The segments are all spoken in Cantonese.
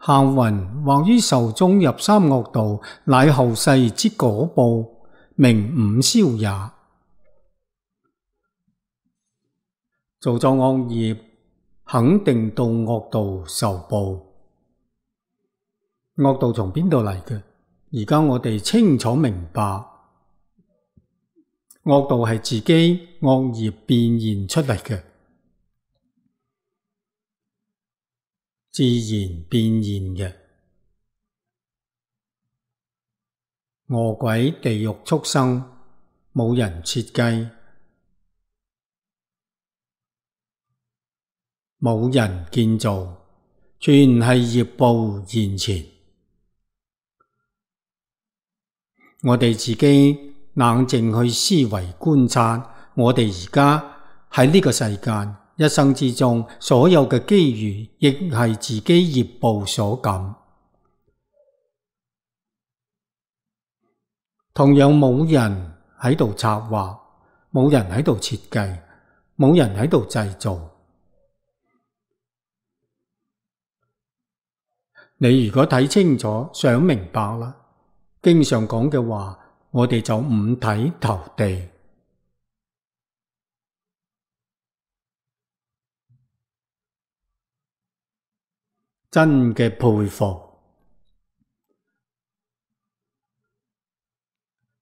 行云或於壽終入三惡道，乃後世之果報，名五消也。做咗惡業，肯定到惡道受報。惡道從邊度嚟嘅？而家我哋清楚明白，惡道係自己惡業變現出嚟嘅，自然變現嘅。餓鬼、地獄、畜生，冇人設計，冇人建造，全係業報現前。我哋自己冷靜去思維觀察，我哋而家喺呢個世間一生之中，所有嘅機遇亦係自己業報所感。同樣冇人喺度策劃，冇人喺度設計，冇人喺度製造。你如果睇清楚，想明白啦，經常講嘅話，我哋就五體投地。真嘅佩服，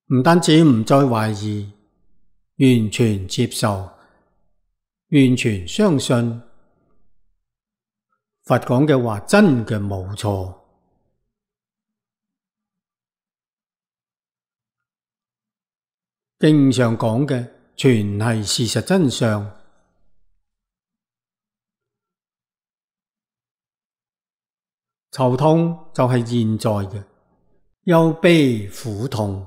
唔單止唔再懷疑，完全接受，完全相信佛講嘅話真嘅冇錯。經上講嘅全係事實真相。愁痛就係現在嘅，憂悲苦痛，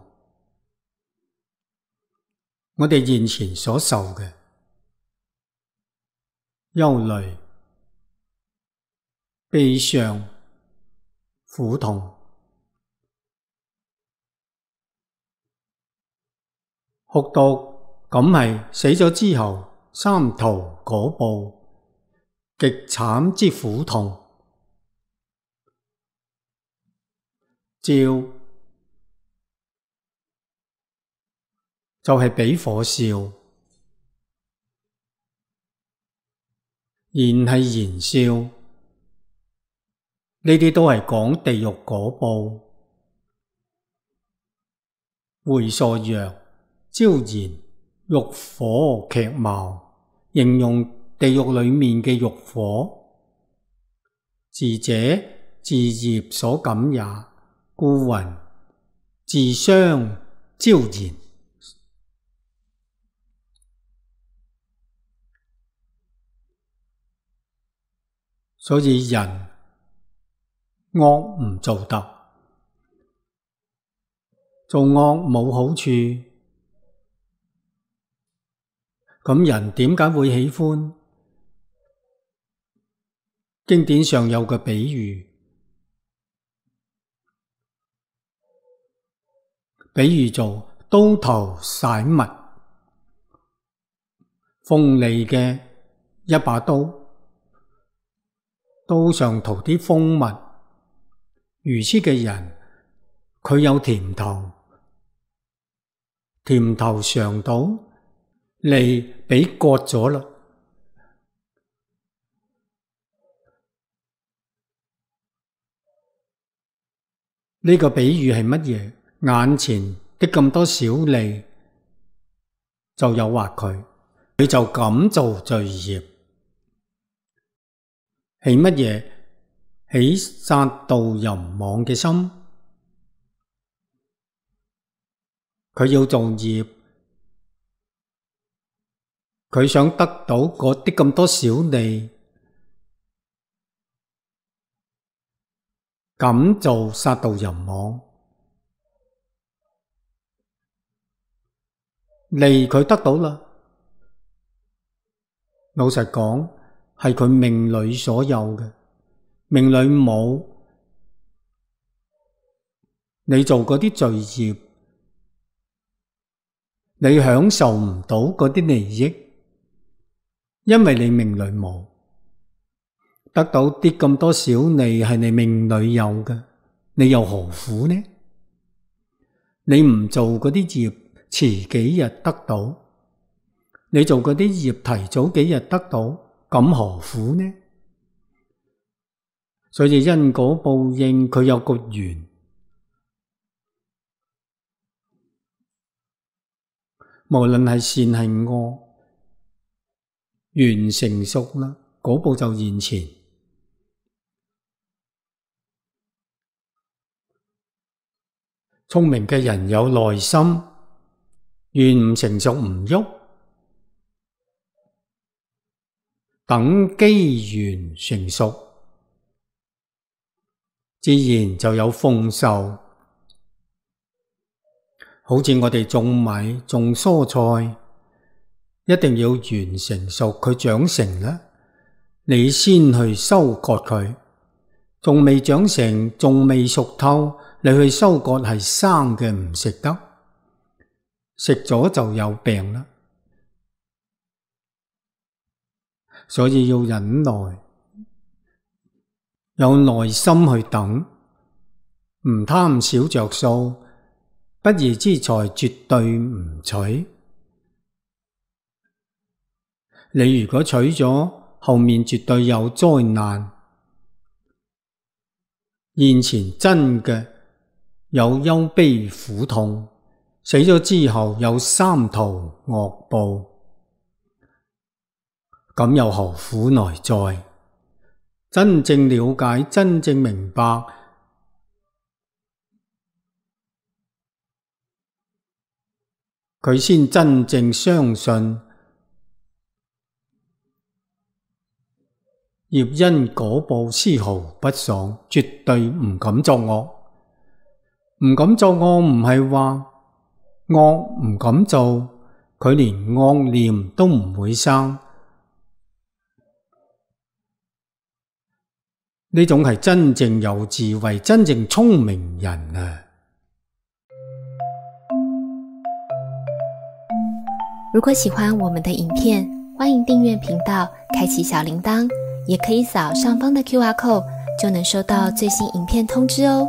我哋現前所受嘅憂慮、悲傷、苦痛，酷毒咁係死咗之後三途果報，極慘之苦痛。照就係俾火燒，燃係燃燒，呢啲都係講地獄果報。回溯曰：椒燃，欲火劇貌，形容地獄裏面嘅欲火。自者自業所感也，故云自相椒燃。所以人惡唔做得，做惡冇好處，咁人點解會喜歡？經典上有個比喻，比喻做刀頭徙蜜，鋒利嘅一把刀，刀上塗啲蜂蜜，愚癡嘅人佢有甜頭，甜頭嘗到，脷俾割咗啦。呢個比喻係乜嘢？眼前的咁多小利就誘惑佢，佢就敢做罪業。起乜嘢？起殺盜淫妄嘅心。佢要做業，佢想得到嗰啲咁多小利，敢做殺盜淫妄。利佢得到啦，老實講係佢命裏所有嘅，命裏冇，你做嗰啲罪業，你享受唔到嗰啲利益，因為你命裏冇。得到啲咁多小利係你命裏有嘅，你又何苦呢？你唔做嗰啲業，遲幾日得到；你做嗰啲業，提早幾日得到，咁何苦呢？所以因果報應佢有個緣，無論係善係惡，緣成熟啦，果報就現前。聰明嘅人有耐心，緣唔成熟唔喐，等機緣成熟，自然就有豐收。好似我哋種米、種蔬菜，一定要緣成熟，佢長成啦，你先去收割佢。仲未長成，仲未熟透，你去收割係生嘅，唔食得，食咗就有病啦。所以要忍耐，有耐心去等，唔貪小着數，不義之財絕對唔取。你如果取咗，後面絕對有災難。現前真嘅有憂悲苦痛，死咗之後有三途惡報，咁又何苦來哉？真正了解，真正明白，佢先真正相信業因果報絲毫不爽，絕對唔敢作惡。唔敢作惡唔係話惡唔敢做，佢連惡念都唔會生。呢種係真正有智慧、真正聰明人啊！如果喜歡我們的影片，歡迎訂閱頻道，開啟小鈴鐺，也可以掃上方的QR code，就能收到最新影片通知哦。